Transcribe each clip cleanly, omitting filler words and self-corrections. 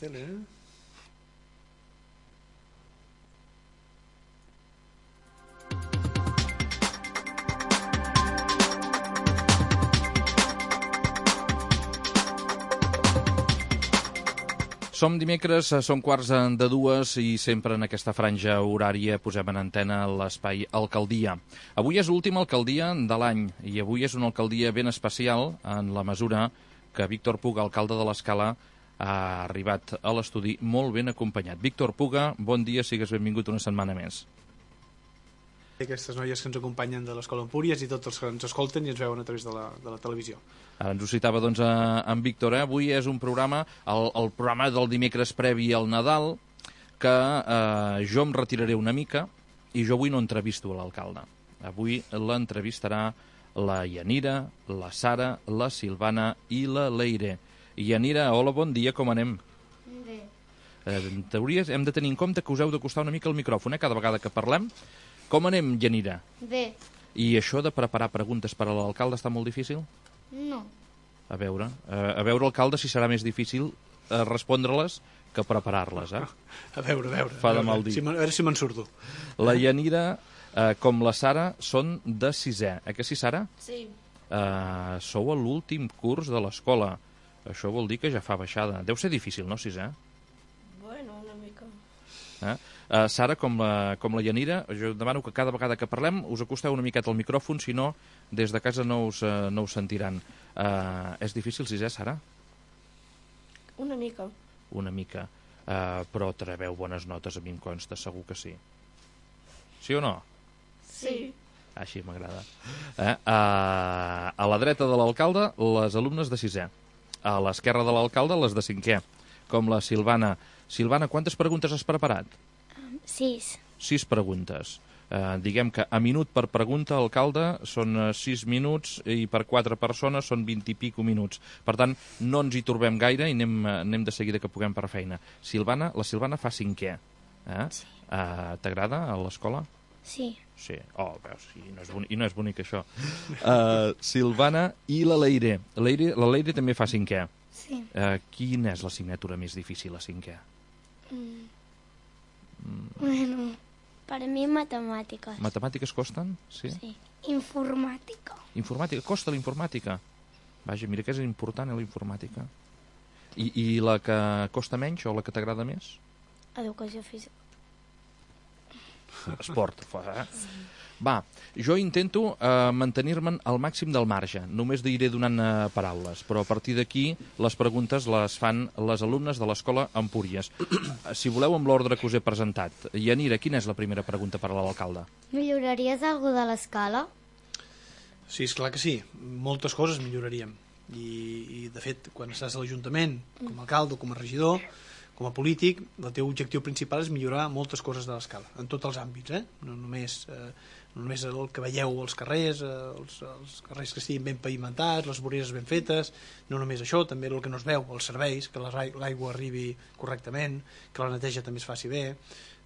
tele, Som dimecres, són 1:45 i sempre en aquesta franja horària posem en antena l'espai Alcaldia. Avui és l'última alcaldia de l'any i avui és una alcaldia ben especial en la mesura que Víctor Puga, alcalde de l'Escala, ha arribat a l'estudi molt ben acompanyat. Víctor Puga, bon dia, sigues benvingut una setmana més. Aquestes noies que ens acompanyen de l'Escola Empúries i tots els que ens escolten i ens veuen a través de la televisió. Ara ens ho citava doncs en Víctor, Avui és un programa, el programa del dimecres previ al Nadal, que jo em retiraré una mica i jo avui no entrevisto l'alcalde. Avui l'entrevistarà la Yanira, la Sara, la Silvana i la Leire. Yanira, hola, bon dia, com anem? Bé. En teoria hem de tenir en compte que us heu d'acostar una mica al micròfon, cada vegada que parlem. Com anem, Yanira? Bé. I això de preparar preguntes per a l'alcalde està molt difícil? No. A veure, alcalde, si serà més difícil respondre-les que preparar-les, A veure. Fa de mal dir. A veure si me'n surto. La Yanira, com la Sara, són de 6è. Que sí, Sara? Sí. Sou a l'últim curs de l'escola. Això vol dir que ja fa baixada. Deu ser difícil, no, 6è? Bueno, una mica. Sara, com la Yanira, jo demano que cada vegada que parlem us acosteu una miqueta al micròfon, si no, des de casa no us sentiran. És difícil 6è, Sara? Una mica. Una mica. Però trebeu bones notes, a mi em consta, segur que sí. Sí o no? Sí. Així m'agrada. A la dreta de l'alcalde, les alumnes de 6è. A l'esquerra de l'alcalde, les de 5è. Com la Silvana. Silvana, quantes preguntes has preparat? 6. 6 preguntes. Diguem que a minut per pregunta, alcalde, són 6 minuts i per 4 persones són 20 i pico minuts. Per tant, no ens hi torbem gaire i anem de seguida que puguem per feina. La Silvana fa 5è. Sí. T'agrada a l'escola? Sí. Sí. Oh, veus, i no és bonic això. Silvana i la Leire. La Leire també fa 5è. Sí. Quina és l'assignatura més difícil a 5è? Bueno, para mí matemáticas. Matemàtiques costen? Sí. Sí. Informàtica. Informàtica? Costa la informàtica? Vaja, mira que és important, la informàtica. I la que costa menys o la que t'agrada més? Educació física. Esport. Sí. Va, jo intento mantenir-me'n al màxim del marge. Només diré donant paraules, però a partir d'aquí les preguntes les fan les alumnes de l'Escola Empúries. Si voleu, amb l'ordre que us he presentat. Yanira, quina és la primera pregunta per a l'alcalde? Milloraries alguna de l'escala? Sí, és clar que sí. Moltes coses milloraríem. I de fet, quan estàs a l'Ajuntament, com a alcalde o com a regidor, com a polític, el teu objectiu principal és millorar moltes coses de l'escala, en tots els àmbits, no només el que veieu als carrers, els carrers que estiguin ben pavimentats, les voreres ben fetes, no només això, també el que no es veu, els serveis, que l'aigua arribi correctament, que la neteja també es faci bé,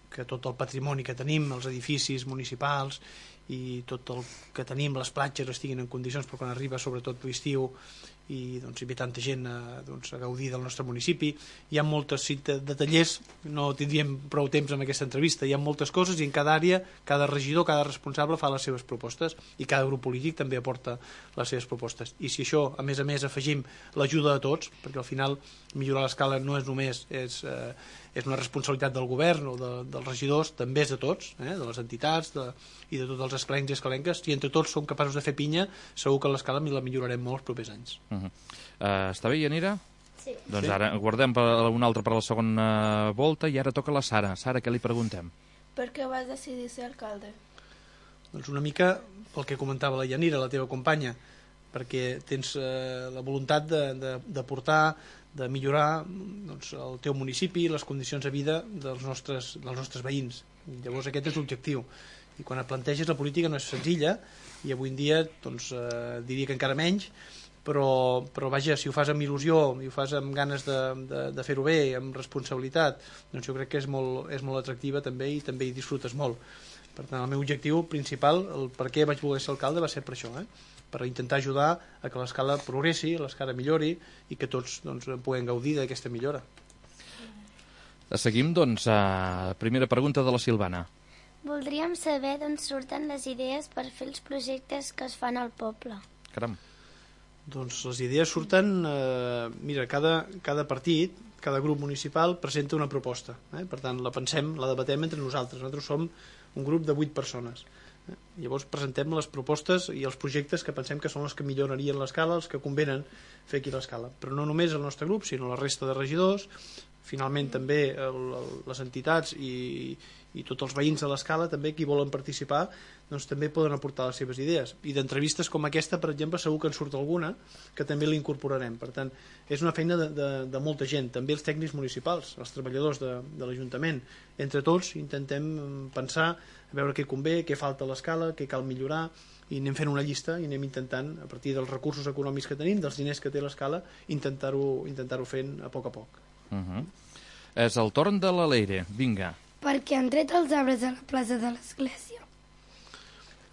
que tot el patrimoni que tenim, els edificis municipals i tot el que tenim, les platges estiguin en condicions per quan arriba, sobretot l'estiu, i doncs, hi ve tanta gent a gaudir del nostre municipi. Hi ha moltes detallers, no tindríem prou temps en aquesta entrevista, hi ha moltes coses i en cada àrea, cada regidor, cada responsable fa les seves propostes i cada grup polític també aporta les seves propostes. I si això, a més, afegim l'ajuda de tots, perquè al final millorar l'escala no és només és una responsabilitat del govern o dels regidors, també és de tots, de les entitats i de tots els escalencs i escalenques. Si entre tots som capaços de fer pinya, segur que l'escala la millorarem molt els propers anys. Està bé, Yanira? Sí. Doncs ara guardem una altra per a la segona volta i ara toca la Sara. Sara, què li preguntem? Per què vas decidir ser alcalde? Doncs una mica pel que comentava la Yanira, la teva companya, perquè tens la voluntat de portar, de millorar doncs, el teu municipi, les condicions de vida dels nostres veïns. Llavors aquest és l'objectiu. I quan et planteges, la política no és senzilla i avui en dia doncs, diria que encara menys, però vaja, si ho fas amb il·lusió i ho fas amb ganes de fer-ho bé, amb responsabilitat, doncs jo crec que és molt atractiva també i també hi disfrutes molt. Per tant, el meu objectiu principal, el per què vaig voler ser alcalde, va ser per això, per intentar ajudar a que l'escala progressi, l'escala millori i que tots doncs, puguem gaudir d'aquesta millora. Seguim, doncs, primera pregunta de la Silvana. Voldríem saber d'on surten les idees per fer els projectes que es fan al poble. Caram. Doncs les idees surten... mira, cada partit, cada grup municipal presenta una proposta. Per tant, la pensem, la debatem entre nosaltres. Nosaltres som un grup de 8 persones. Llavors presentem les propostes i els projectes que pensem que són els que millorarien l'escala, els que convenen fer aquí l'escala. Però no només el nostre grup, sinó la resta de regidors, finalment també les entitats i tots els veïns de l'escala, també qui volen participar, doncs també poden aportar les seves idees. I d'entrevistes com aquesta, per exemple, segur que en surt alguna que també l'incorporarem. Per tant, és una feina de molta gent, també els tècnics municipals, els treballadors de l'Ajuntament. Entre tots intentem pensar, a veure què convé, què falta a l'escala, què cal millorar, i anem fent una llista i anem intentant, a partir dels recursos econòmics que tenim, dels diners que té l'escala, intentar-ho fent a poc. És el torn de la Leire, vinga. Perquè han tret els arbres a la plaça de l'església.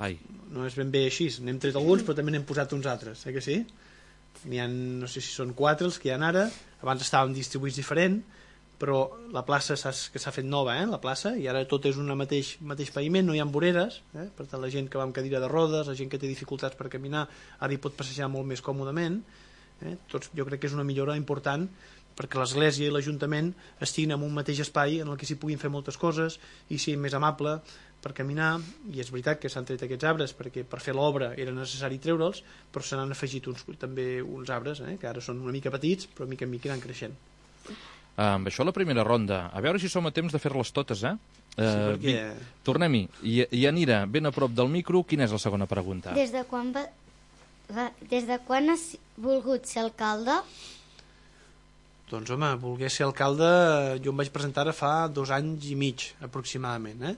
Ai. No és ben bé així, n'hem tret alguns però també n'hem posat uns altres, que sí? N'hi ha, no sé si són 4 els que hi ha ara, abans estaven distribuïts diferent, però la plaça que s'ha fet nova, la plaça, i ara tot és un mateix paviment, no hi ha voreres, per tant la gent que va amb cadira de rodes, la gent que té dificultats per caminar, ara hi pot passejar molt més còmodament. Tots, jo crec que és una millora important perquè l'església i l'Ajuntament estiguin en un mateix espai en el que s'hi puguin fer moltes coses i sigui més amable per caminar, i és veritat que s'han tret aquests arbres perquè per fer l'obra era necessari treure'ls, però se n'han afegit també uns arbres que ara són una mica petits però mica en mica iran creixent. Amb això la primera ronda, a veure si som a temps de fer-les totes, Sí, perquè... Tornem-hi. I Anira, ben a prop del micro, quina és la segona pregunta? Des de quan has volgut ser alcalde? Doncs home, voler ser alcalde jo em vaig presentar ara fa 2 anys i mig aproximadament,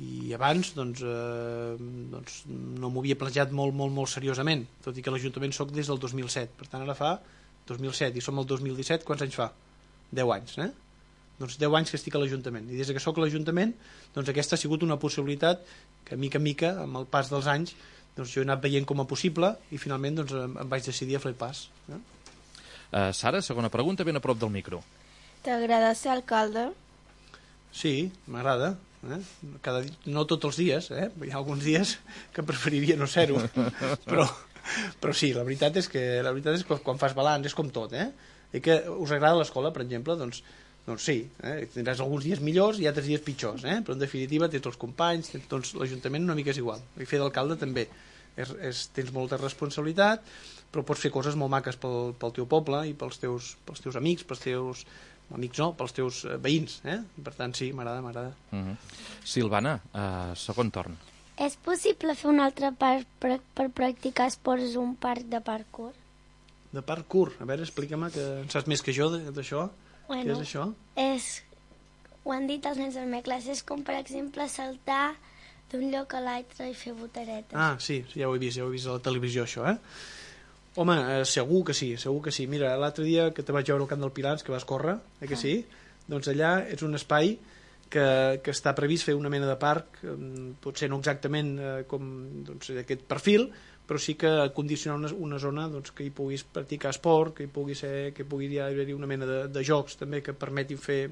i abans doncs no m'ho havia plantejat molt seriosament, tot i que a l'Ajuntament soc des del 2007, per tant ara fa 2007 i som el 2017, quants anys fa? 10 anys, doncs 10 anys que estic a l'Ajuntament, i des que soc a l'Ajuntament doncs aquesta ha sigut una possibilitat que mica en mica, amb el pas dels anys, doncs jo he anat veient com a possible i finalment doncs em vaig decidir a fer el pas. Sara, segona pregunta, ben a prop del micro. T'agrada ser alcalde? Sí, m'agrada. No tots els dies, hi ha alguns dies que preferiria no ser-ho, però sí, la veritat és que quan fas balanç és com tot, i que us agrada l'escola, per exemple, doncs sí, tindràs alguns dies millors i altres dies pitjors, però en definitiva tens els companys, doncs l'Ajuntament una mica és igual, i fer d'alcalde també tens molta responsabilitat, però pots fer coses molt maques pel teu poble i pels teus amics, pels teus veïns, per tant sí, m'agrada. Silvana, segon torn. És possible fer un altre parc per practicar esports, un parc de parkour? De parkour, a veure, explica-me, que en saps més que jo d'això. Què és això? Ho han dit els nens de la meva classe, és com per exemple saltar d'un lloc a l'altre i fer voltaretes. Ah, sí, ja ho he vist a la televisió això, Home, segur que sí. Mira, l'altre dia que te vaig veure al Camp del Pilars, que vas córrer, que sí? Doncs allà és un espai que està previst fer una mena de parc, potser no exactament com aquest perfil, però sí que condicionar una zona que hi puguis practicar esport, que pugui haver-hi una mena de jocs també que permetin fer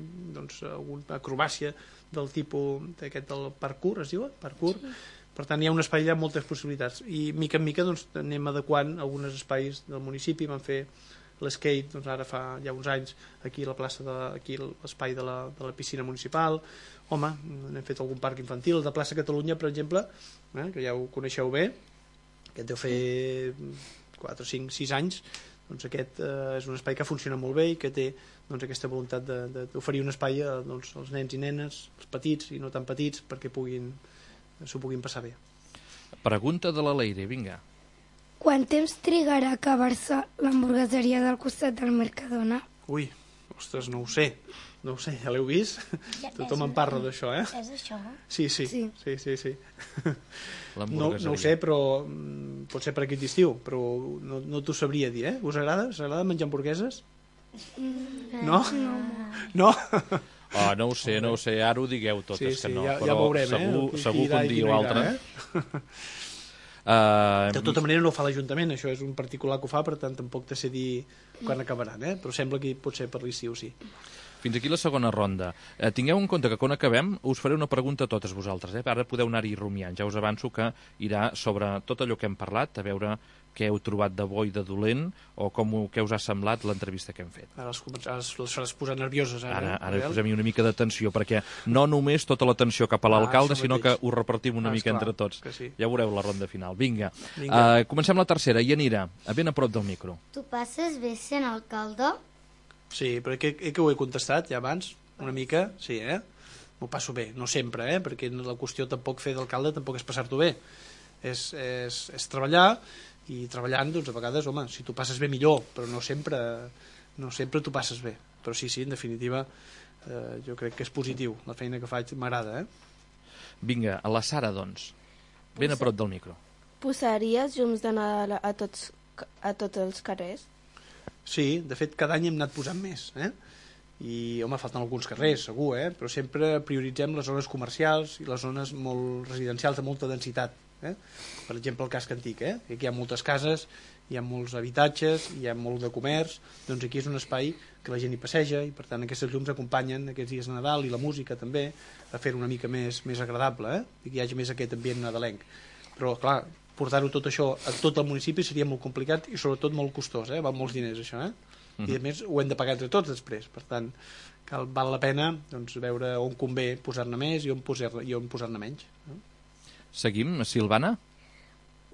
alguna acrobàcia del tipus d'aquest del parkour, es diu? Parkour. Sí. Per tant, hi ha un espai allà amb moltes possibilitats i mica en mica anem adequant alguns espais del municipi. Vam fer l'skate ara fa ja uns anys aquí a la plaça, aquí l'espai de la piscina municipal. Home, hem fet algun parc infantil, de plaça Catalunya, per exemple, que ja ho coneixeu bé, que deu fer 4, 5, 6 anys. Doncs aquest és un espai que funciona molt bé i que té aquesta voluntat d'oferir un espai als nens i nenes, els petits i no tan petits, perquè s'ho puguin passar bé. Pregunta de la Leire, vinga. Quant temps trigarà a acabar-se l'hamburgueseria del costat del Mercadona? Ui, ostres, no ho sé, ja l'heu vist? Tothom en parla d'això, És això? Sí. No ho sé, però pot ser per aquest estiu, però no t'ho sabria dir, Us agrada? Us agrada menjar hamburgueses? No? No? No ho sé, ara ho digueu totes que no, ja però veurem, segur que un dia o altre. De tota manera no ho fa l'Ajuntament, això és un particular que ho fa, per tant tampoc te sé dir quan acabaran, però sembla que pot ser per l'estiu, sí. Fins aquí la segona ronda. Tingueu en compte que quan acabem us faré una pregunta a totes vosaltres. Ara podeu anar-hi rumiant. Ja us avanço que irà sobre tot allò que hem parlat, a veure què heu trobat de bo i de dolent o què us ha semblat l'entrevista que hem fet. Ara les faràs posar nervioses. Ara posem-hi una mica d'atenció, perquè no només tota l'atenció cap a l'alcalde, sinó que ho repartim una mica entre tots. Sí. Ja veureu la ronda final. Vinga. Comencem la tercera. Yanira, ben a prop del micro. Tu passes bé sent alcalde? Sí, però que ho he contestat ja abans, una mica, sí, m'ho passo bé, no sempre, perquè la qüestió tampoc fer d'alcalde tampoc és passar-t'ho bé, és treballar, i treballant, doncs a vegades, home, si tu passes bé millor, però no sempre tu passes bé, però sí, en definitiva jo crec que és positiu, la feina que faig m'agrada. Vinga, a la Sara, doncs, ben a prop del micro. Posaries llums de Nadal a tots els carrers? Sí, de fet cada any hem anat posant més, i home, falten alguns carrers, segur, però sempre prioritzem les zones comercials i les zones molt residencials de molta densitat. Per exemple el casc antic, aquí hi ha moltes cases, hi ha molts habitatges, hi ha molt de comerç, doncs aquí és un espai que la gent hi passeja i per tant aquestes llums acompanyen aquests dies de Nadal i la música també a fer una mica més agradable, i que hi hagi més aquest ambient nadalenc. Però clar, portar-ho tot això a tot el municipi seria molt complicat i sobretot molt costós, val molts diners això, i a més ho hem de pagar entre tots després, per tant val la pena doncs, veure on convé posar-ne més i on posar-ne menys. Seguim, Silvana?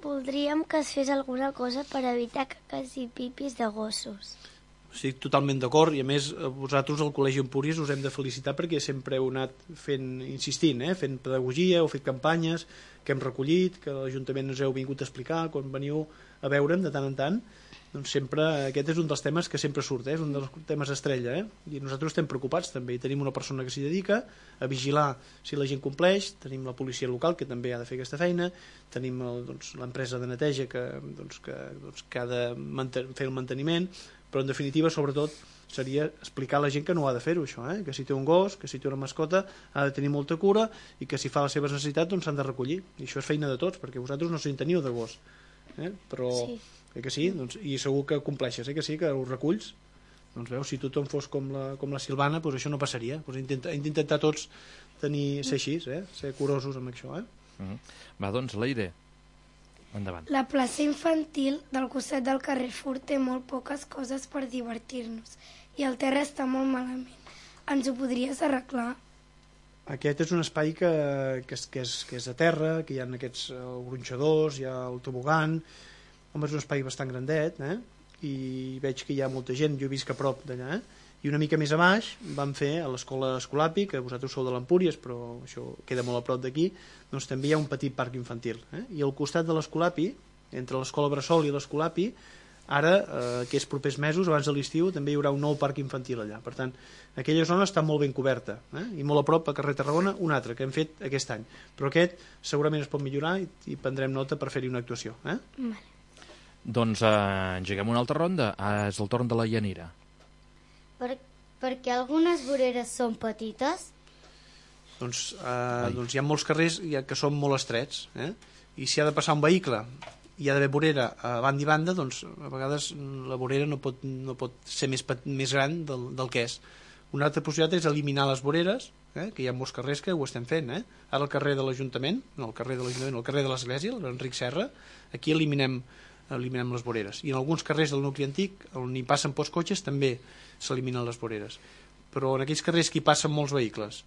Voldríem que es fes alguna cosa per evitar caques i pipis de gossos. Estic totalment d'acord i a més vosaltres al Col·legi Empúries us hem de felicitar perquè sempre heu anat insistint, fent pedagogia, heu fet campanyes que hem recollit, que l'Ajuntament us heu vingut a explicar quan veniu a veure'm de tant en tant. Doncs sempre aquest és un dels temes que sempre surt, és un dels temes estrella, i nosaltres estem preocupats també, i tenim una persona que s'hi dedica a vigilar si la gent compleix, tenim la policia local que també ha de fer aquesta feina, tenim l'empresa de neteja que ha de fer el manteniment, però en definitiva sobretot seria explicar a la gent que no ha de fer-ho això, que si té un gos, que si té una mascota ha de tenir molta cura i que si fa les seves necessitats doncs s'han de recollir, i això és feina de tots perquè vosaltres no se'n teniu de gos, però sí. Que sí, doncs, i segur que compleixes, que sí, que ho reculls, doncs veus, si tothom fos com la Silvana, doncs això no passaria, doncs hem d'intentar tots ser així, ser curosos amb això. Va, doncs, Leire, endavant. La plaça infantil del costat del carrer Furt té molt poques coses per divertir-nos i el terra està molt malament. Ens ho podries arreglar? Aquest és un espai que és a terra, que hi ha aquests gronxadors, hi ha el tobogan. Home, és un espai bastant grandet, i veig que hi ha molta gent, jo he vist que a prop d'allà, i una mica més a baix vam fer a l'escola Escolapi, que vosaltres sou de l'Empúries, però això queda molt a prop d'aquí, doncs també hi ha un petit parc infantil, i al costat de l'Escolapi, entre l'escola Bressol i l'Escolapi, ara, aquests propers mesos, abans de l'estiu, també hi haurà un nou parc infantil allà, per tant, aquella zona està molt ben coberta, i molt a prop a carrer Tarragona, un altre que hem fet aquest any, però aquest segurament es pot millorar i prendrem nota per fer-hi una actuació. Vale. Doncs engeguem una altra ronda. És el torn de la Yanira. Perquè algunes voreres són petites? Doncs hi ha molts carrers que són molt estrets, i si ha de passar un vehicle i ha d'haver vorera a banda i banda, doncs a vegades la vorera no pot ser més gran del que és. Una altra possibilitat és eliminar les voreres, que hi ha molts carrers que ho estem fent. Ara el carrer de l'Ajuntament, el carrer de l'Església, l'Enric Serra, aquí eliminem les voreres, i en alguns carrers del nucli antic on hi passen pocs cotxes també s'eliminen les voreres, però en aquells carrers que hi passen molts vehicles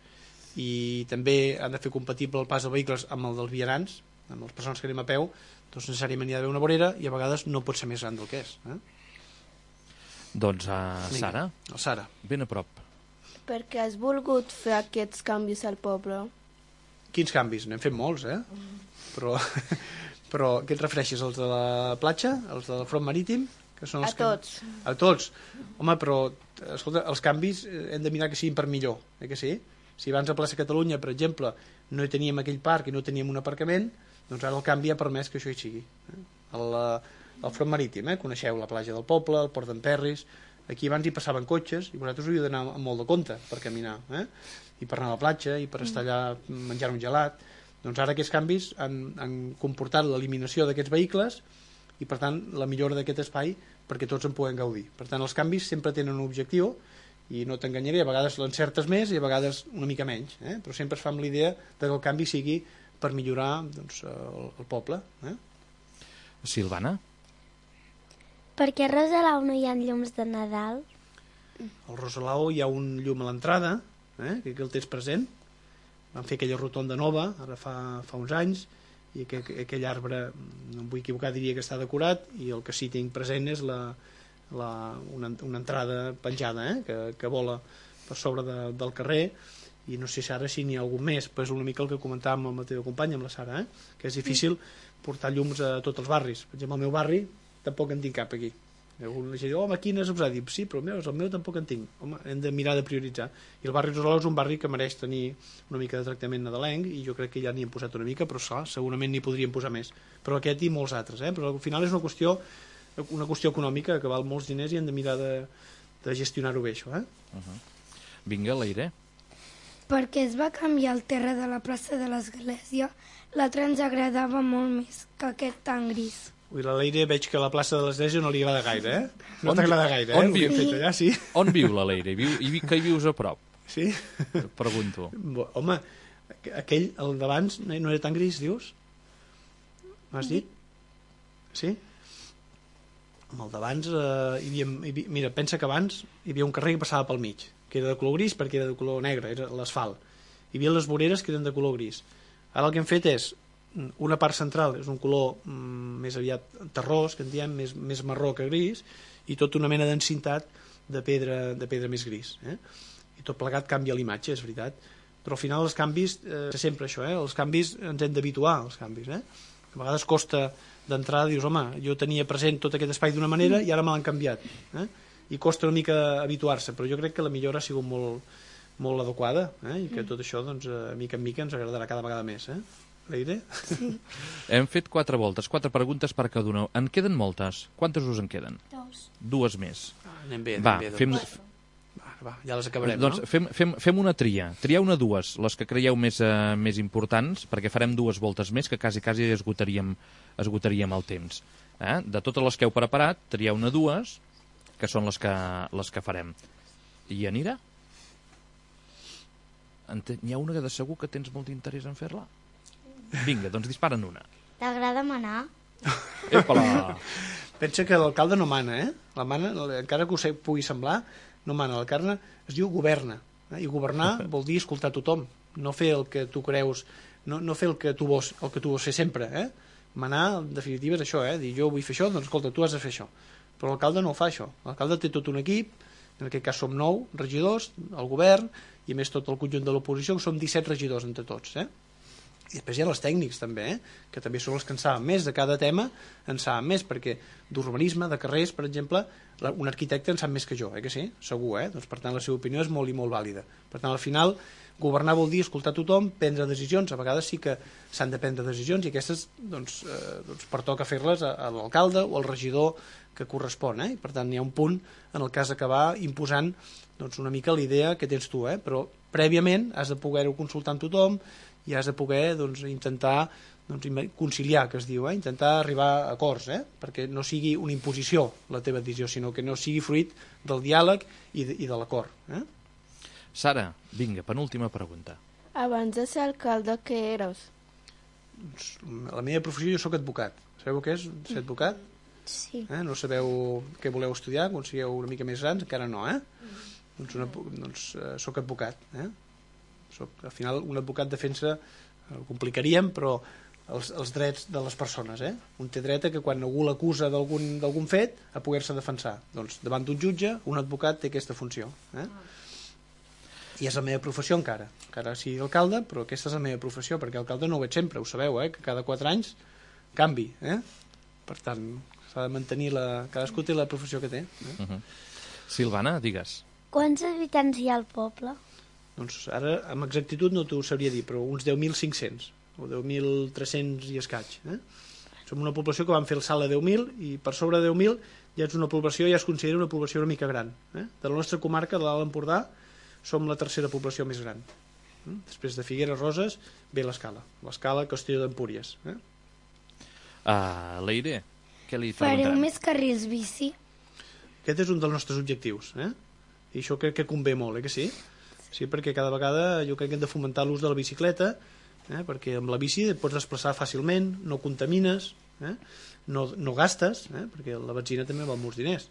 i també han de fer compatible el pas de vehicles amb el dels vianants, amb les persones que anem a peu, doncs necessàriament hi ha d'haver una vorera i a vegades no pot ser més gran del que és. Doncs Sara, ben a prop. Per què has volgut fer aquests canvis al poble? Quins canvis? N'hem fet molts, però què et refereixes, els de la platja, els del front marítim? Que són els tots. A tots? Home, però escolta, els canvis hem de mirar que siguin per millor, que sí? Si abans a Plaça Catalunya, per exemple, no hi teníem aquell parc i no teníem un aparcament, doncs ara el canvi ha permès que això hi sigui. El front marítim, coneixeu la platja del poble, el port d'en Perris, aquí abans hi passaven cotxes i vosaltres hauríeu d'anar amb molt de compte per caminar, i per anar a la platja i per estar allà menjant un gelat. Doncs ara aquests canvis han comportat l'eliminació d'aquests vehicles i per tant la millora d'aquest espai perquè tots en puguem gaudir. Per tant els canvis sempre tenen un objectiu i no t'enganyaré, a vegades l'encertes més i a vegades una mica menys, però sempre es fa amb l'idea que el canvi sigui per millorar doncs, el poble. Silvana? Per què a Rosalau no hi ha llums de Nadal? Al Rosalau hi ha un llum a l'entrada, que aquí el tens present. Van fer aquella rotonda nova, ara fa uns anys, i aquell arbre, no em vull equivocar, diria que està decorat, i el que sí tinc present és una entrada penjada, que vola per sobre del carrer, i no sé si n'hi ha algun més, però és una mica el que comentàvem amb la teva companya, amb la Sara, que és difícil portar llums a tots els barris. Per exemple, al meu barri tampoc en tinc cap aquí. Algun gent diu, home, quines us ha dit? Sí, però el meu tampoc en tinc. Home, hem de mirar de prioritzar. I el barri Rosalau és un barri que mereix tenir una mica de tractament nadalenc, i jo crec que ja n'hi hem posat una mica, però clar, segurament n'hi podríem posar més. Però aquest i molts altres, però al final és una qüestió econòmica que val molts diners i hem de mirar de gestionar-ho bé, això. Vinga, l'Aire. Perquè es va canviar el terra de la plaça de l'Església, l'altre ens agradava molt més que aquest tan gris. Ui, la Leire veig que la plaça de l'Església no li agrada gaire, No t'agrada gaire, On viu? Fet allà, sí. On viu la Leire? Que hi vius a prop? Sí? Pregunto. Home, aquell, el d'abans, no era tan gris, dius? M'has dit? Sí? Amb el d'abans, mira, pensa que abans hi havia un carrer que passava pel mig, que era de color gris perquè era de color negre, era l'asfalt. Hi havia les voreres que eren de color gris. Ara el que hem fet és una part central és un color més aviat terrós, que en diem, més marró que gris, i tota una mena densitat de pedra més gris. I tot plegat canvia l'imatge, és veritat. Però al final els canvis, sempre això, els canvis ens hem d'habituar, als canvis. A vegades costa d'entrada, dius, home, jo tenia present tot aquest espai d'una manera i ara me l'han canviat. I costa una mica habituar-se, però jo crec que la millora ha sigut molt adequada, i que tot això, doncs, mica en mica ens agradarà cada vegada més. Leire? Sí. Hem fet 4 voltes, 4 preguntes per cada una. En queden moltes? Quantes us en queden? 2 més. Anem bé, Va, ja les acabarem, doncs, no? Fem una tria. Trieu una, 2, les que creieu més importants, perquè farem 2 voltes més, que quasi esgotaríem el temps. De totes les que heu preparat, trieu una, 2, que són les que farem. I anirà? N'hi ha una que de segur que tens molt interès en fer-la? Vinga, doncs dispara'n una. T'agrada manar? Epala! Pensa que l'alcalde no mana, La mana, encara que us pugui semblar, no mana. L'alcalde es diu governa. I governar vol dir escoltar tothom. No fer el que tu creus, no fer el que tu vols fer sempre, Manar, en definitiva, és això, Dir, jo vull fer això, doncs escolta, tu has de fer això. Però l'alcalde no ho fa, això. L'alcalde té tot un equip, en aquest cas som 9 regidors, el govern, i a més tot el conjunt de l'oposició, que som 17 regidors entre tots, I després hi ha els tècnics també, que també són els que en saben més de cada tema, en saben més, perquè d'urbanisme, de carrers, per exemple, un arquitecte en sap més que jo, que sí? Segur, Doncs, per tant, la seva opinió és molt i molt vàlida. Per tant, al final, governar vol dir escoltar tothom, prendre decisions. A vegades sí que s'han de prendre decisions i aquestes, doncs pertoca fer-les a l'alcalde o al regidor que correspon, I per tant, hi ha un punt en el cas d'acabar imposant una mica l'idea que tens tu, però prèviament has de poder-ho consultar amb tothom i has de poder intentar conciliar, que es diu, intentar arribar a acords, perquè no sigui una imposició la teva decisió, sinó que no sigui fruit del diàleg i de l'acord. Sara, vinga, penúltima pregunta. Abans de ser alcalde, què eres? La meva professió, jo soc advocat. Sabeu què és ser advocat? Sí. No sabeu què voleu estudiar quan sigueu una mica més grans? Encara no, Doncs soc advocat, al final un advocat defensa, ho complicaríem, però els drets de les persones, Un té dret a que quan algú l'acusa d'algun fet a poder-se defensar. Doncs davant d'un jutge, un advocat té aquesta funció, I és la meva professió encara sigui alcalde, però aquesta és la meva professió, perquè alcalde no ho veig sempre, ho sabeu, que cada 4 anys canvi, Per tant, s'ha de mantenir cadascú té la professió que té. Silvana, digues. Quants habitants hi ha al poble? Doncs ara, amb exactitud no t'ho sabria dir, però uns 10.500 o 10.300 i escaig. Som una població que vam fer el salt a 10.000 i per sobre de 10.000 ja és una població, ja es considera una població una mica gran. De la nostra comarca, de l'Alt Empordà, som la tercera població més gran. Després de Figueres, Roses, ve l'Escala, Castelló d'Empúries. Leire, què li Fareu preguntarem? més carrils bici? Aquest és un dels nostres objectius, I això crec que convé molt, que sí? Sí, perquè cada vegada jo crec que hem de fomentar l'ús de la bicicleta, perquè amb la bici et pots desplaçar fàcilment, no contamines, no gastes, perquè la benzina també val molts diners.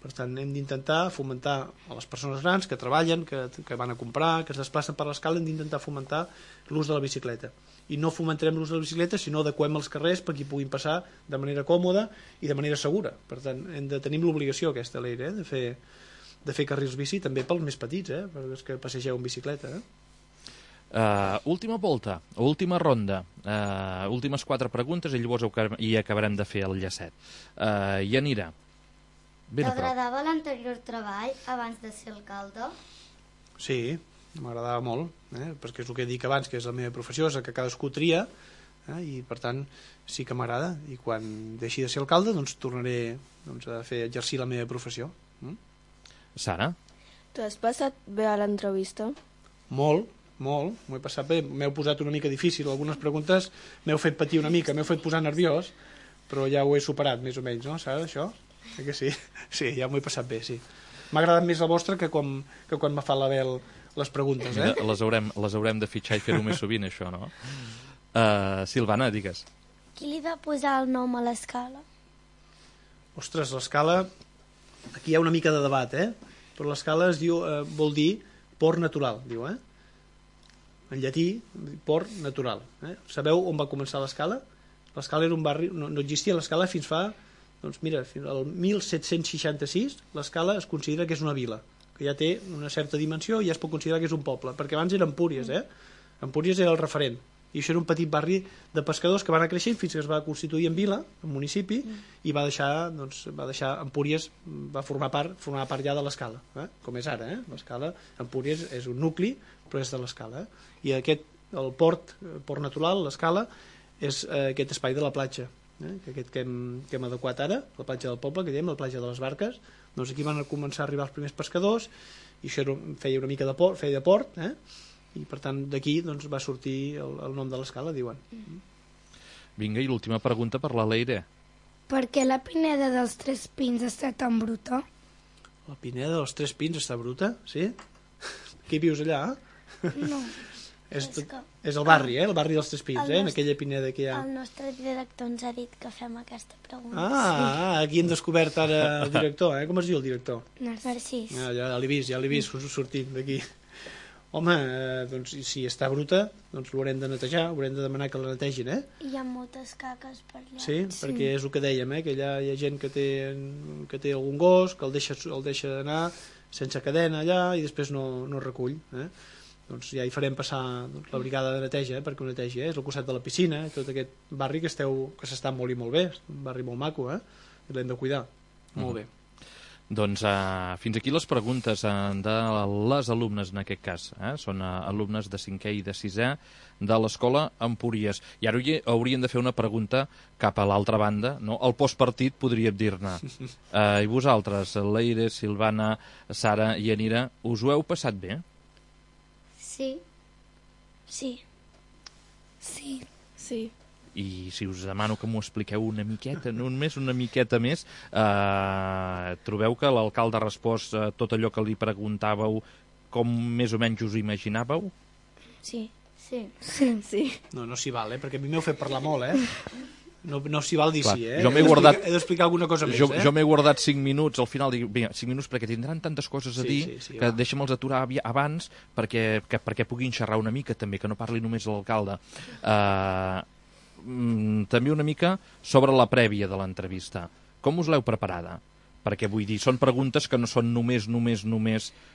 Per tant, hem d'intentar fomentar a les persones grans que treballen, que van a comprar, que es desplacen per l'escala, hem d'intentar fomentar l'ús de la bicicleta. I no fomentarem l'ús de la bicicleta si no adequem els carrers perquè hi puguin passar de manera còmoda i de manera segura. Per tant, hem de tenir l'obligació aquesta, Leire, de fer carrils bici també pels més petits, perquè és que passegeu en bicicleta. Última volta, última ronda, últimes 4 preguntes i llavors hi acabarem de fer el llacet. Yanira, ben a prop. T'agradava l'anterior treball abans de ser alcalde? Sí, m'agradava molt, perquè és el que he dit abans, que és la meva professió, és el que cadascú tria, i per tant sí que m'agrada, i quan deixi de ser alcalde doncs tornaré a exercir la meva professió. Sara? T'has passat bé a l'entrevista? Molt, m'ho he passat bé, m'heu posat una mica difícil, algunes preguntes m'heu fet patir una mica, m'heu fet posar nerviós, però ja ho he superat més o menys, no, Sara, això? Que sí? Sí, ja m'ho he passat bé, sí. M'ha agradat més la vostra que quan m'ha fet la Bel les preguntes, Les haurem de fitxar i fer-ho més sovint, això, no? Silvana, digues. Qui li va posar el nom a l'escala? Ostres, l'escala, aquí hi ha una mica de debat, però l'escala es diu, vol dir port natural, diu, en llatí, port natural. Sabeu on va començar l'escala? L'escala era un barri, no existia l'escala fins fa, doncs mira, fins al 1766 l'escala es considera que és una vila, que ja té una certa dimensió i ja es pot considerar que és un poble, perquè abans era Empúries, Empúries era el referent, i això era un petit barri de pescadors que va anar creixent fins que es va constituir en vila, en municipi, i va deixar Empúries, va formar part ja de l'escala, com és ara, l'escala, Empúries és un nucli, però és de l'escala, i el port natural, l'escala, és aquest espai de la platja, aquest que hem adequat ara, la platja del poble, que diem, la platja de les barques. Doncs aquí van començar a arribar els primers pescadors i això feia una mica de port, i per tant d'aquí va sortir el nom de l'escala, diuen. Vinga, i l'última pregunta per la Leire. Per què la Pineda dels Tres Pins està tan bruta? La Pineda dels Tres Pins està bruta, sí? Qui vius allà? No. És el barri, el barri dels Tres Pins, en aquella Pineda que hi ha. El nostre director ens ha dit que fem aquesta pregunta. Aquí hem descobert ara el director, com es diu el director? Narcís. Ja l'he vist sortint d'aquí. Home, doncs si està bruta, doncs l'haurem de netejar, haurem de demanar que la netegin, Hi ha moltes caques per allà. Sí, perquè és el que dèiem, que allà hi ha gent que té algun gos, que el deixa anar sense cadena allà i després no recull, doncs ja hi farem passar la brigada de neteja perquè ho netegi, és al costat de la piscina, tot aquest barri que s'està molt i molt bé, és un barri molt maco, i l'hem de cuidar, molt bé. Doncs fins aquí les preguntes de les alumnes en aquest cas, són alumnes de 5è i de 6è de l'escola Empúries, i ara hauríem de fer una pregunta cap a l'altra banda, no? El postpartit podríem dir-ne. I vosaltres, Leire, Silvana, Sara i Yanira, us ho heu passat bé? Sí. Sí. Sí. Sí. I si us demano que m'ho expliqueu una miqueta, només una miqueta més, trobeu que l'alcalde ha respost tot allò que li preguntàveu com més o menys us imaginàveu? Sí. Sí. Sí. No s'hi val, perquè a mi m'heu fet parlar molt, No s'hi val dir Clar, sí, jo m'he guardat... He d'explicar alguna cosa més, Jo m'he guardat 5 minuts, al final dic, vinga, 5 minuts perquè tindran tantes coses a dir que deixa'm-els aturar abans perquè puguin xerrar una mica també, que no parli només l'alcalde. També una mica sobre la prèvia de l'entrevista. Com us l'heu preparada? Perquè vull dir, són preguntes que no són només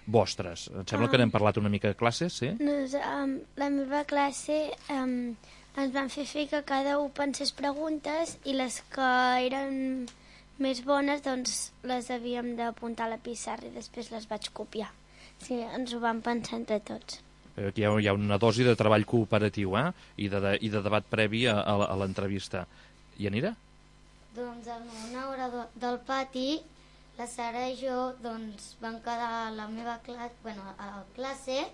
vostres. Em sembla que n'hem parlat una mica a classe, sí? La meva classe ens van fer que cada un pensés preguntes i les que eren més bones doncs les havíem d'apuntar a la pissarra i després les vaig copiar. Sí, ens ho vam pensar entre tots. Aquí hi ha una dosi de treball cooperatiu i de debat previ a l'entrevista. I Yanira? Doncs en una hora del pati, la Sara i jo vam quedar a la meva classe, a la classe,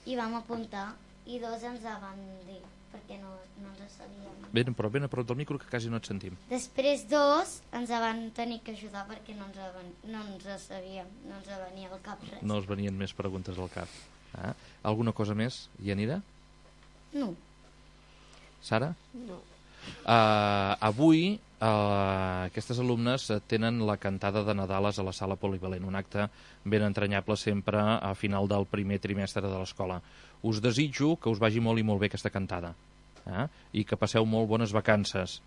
i vam apuntar, i dos ens van dir perquè no ens sabíem. Ben a prop del micro, que quasi no et sentim. Després 2 ens van tenir que ajudar perquè no ens sabíem, no ens venia al cap res. No us venien més preguntes al cap. Alguna cosa més, Yanira? No. Sara? No. Avui aquestes alumnes tenen la cantada de Nadales a la sala polivalent, un acte ben entranyable sempre a final del primer trimestre de l'escola. Us desitjo que us vagi molt i molt bé aquesta cantada, i que passeu molt bones vacances,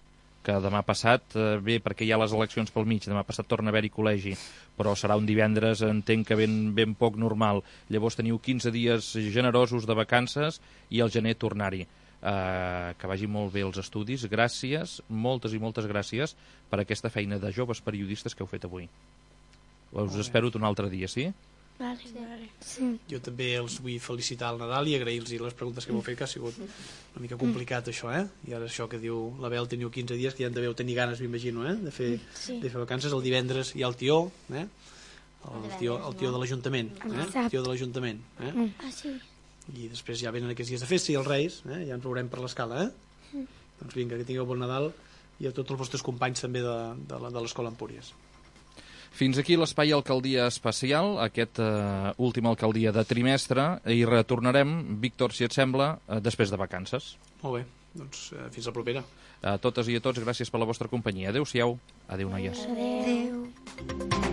que demà passat, bé, perquè hi ha les eleccions pel mig, demà passat torna a haver-hi col·legi, però serà un divendres, entenc que ben poc normal. Llavors teniu 15 dies generosos de vacances i al gener tornar-hi. Que vagi molt bé els estudis. Gràcies, moltes i moltes gràcies per aquesta feina de joves periodistes que heu fet avui. Us espero un altre dia, sí? Vale. Sí. Jo també els vull felicitar al Nadal i agrair-los les preguntes que m'heu fet, que ha sigut una mica complicat això, I ara això que diu la Bel, teniu 15 dies, que ja en deveu tenir ganes, m'imagino, de fer vacances. El divendres hi ha el tió, el tió de l'Ajuntament, el tió de l'Ajuntament, Ah, sí. i després ja venen aquests dies de festa i els Reis, ja ens veurem per l'escala, Doncs vinga, que tingueu bon Nadal, i a tots els vostres companys també de l'Escola Empúries. Fins aquí l'espai Alcaldia Especial, aquest últim alcaldia de trimestre, i retornarem, Víctor, si et sembla, després de vacances. Molt bé, doncs fins la propera. A totes i a tots, gràcies per la vostra companyia. Adéu-siau. Adéu, noies. Adéu.